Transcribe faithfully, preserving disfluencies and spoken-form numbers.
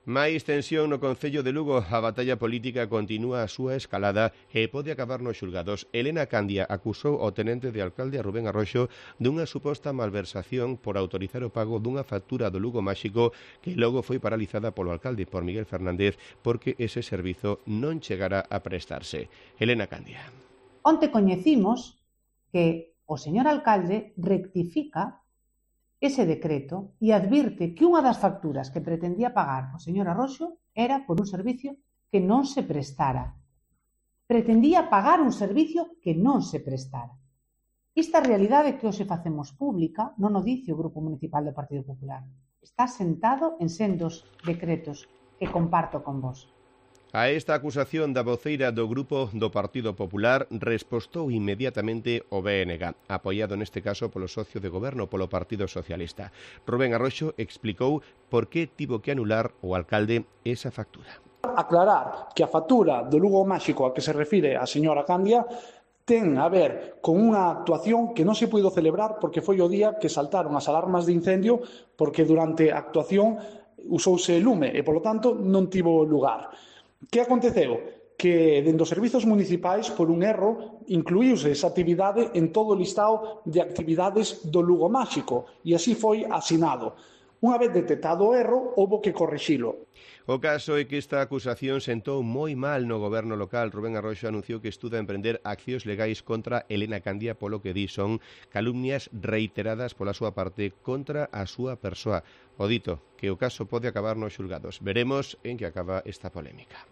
Máis tensión no Concello de Lugo. A batalla política continúa a súa escalada e pode acabar nos xulgados. Elena Candia acusou ao tenente de alcalde a Rubén Arroxo dunha suposta malversación por autorizar o pago dunha factura do Lugo Máxico que logo foi paralizada polo alcalde, por Miguel Fernández, porque ese servizo non chegara a prestarse. Elena Candia. Onte coñecimos que o señor alcalde rectifica ese decreto e advirte que unha das facturas que pretendía pagar o señor Arroxo era por un servicio que non se prestara. Pretendía pagar un servicio que non se prestara. Esta realidade que hoxe facemos pública non o dice o Grupo Municipal do Partido Popular. Está sentado en sendos decretos que comparto con vos. A esta acusación da voceira do Grupo do Partido Popular respostou inmediatamente o B N G, apoiado neste caso polo socio de goberno, polo Partido Socialista. Rubén Arroxo explicou por que tivo que anular o alcalde esa factura. Aclarar que a factura do Lugo Máxico a que se refire a señora Candia ten a ver con unha actuación que non se puido celebrar porque foi o día que saltaron as alarmas de incendio porque durante a actuación usouse lume e, polo tanto, non tivo lugar. Que aconteceu? Que dende os servizos municipais, por un erro, incluíuse esa actividade en todo o listado de actividades do Lugo Máxico e así foi asinado. Unha vez detectado o erro, houbo que corrixilo. O caso é que esta acusación sentou moi mal no goberno local. Rubén Arroxo anunciou que estuda emprender accións legais contra Elena Candia polo que di son calumnias reiteradas pola súa parte contra a súa persoa. O dito, que o caso pode acabar nos xulgados. Veremos en que acaba esta polémica.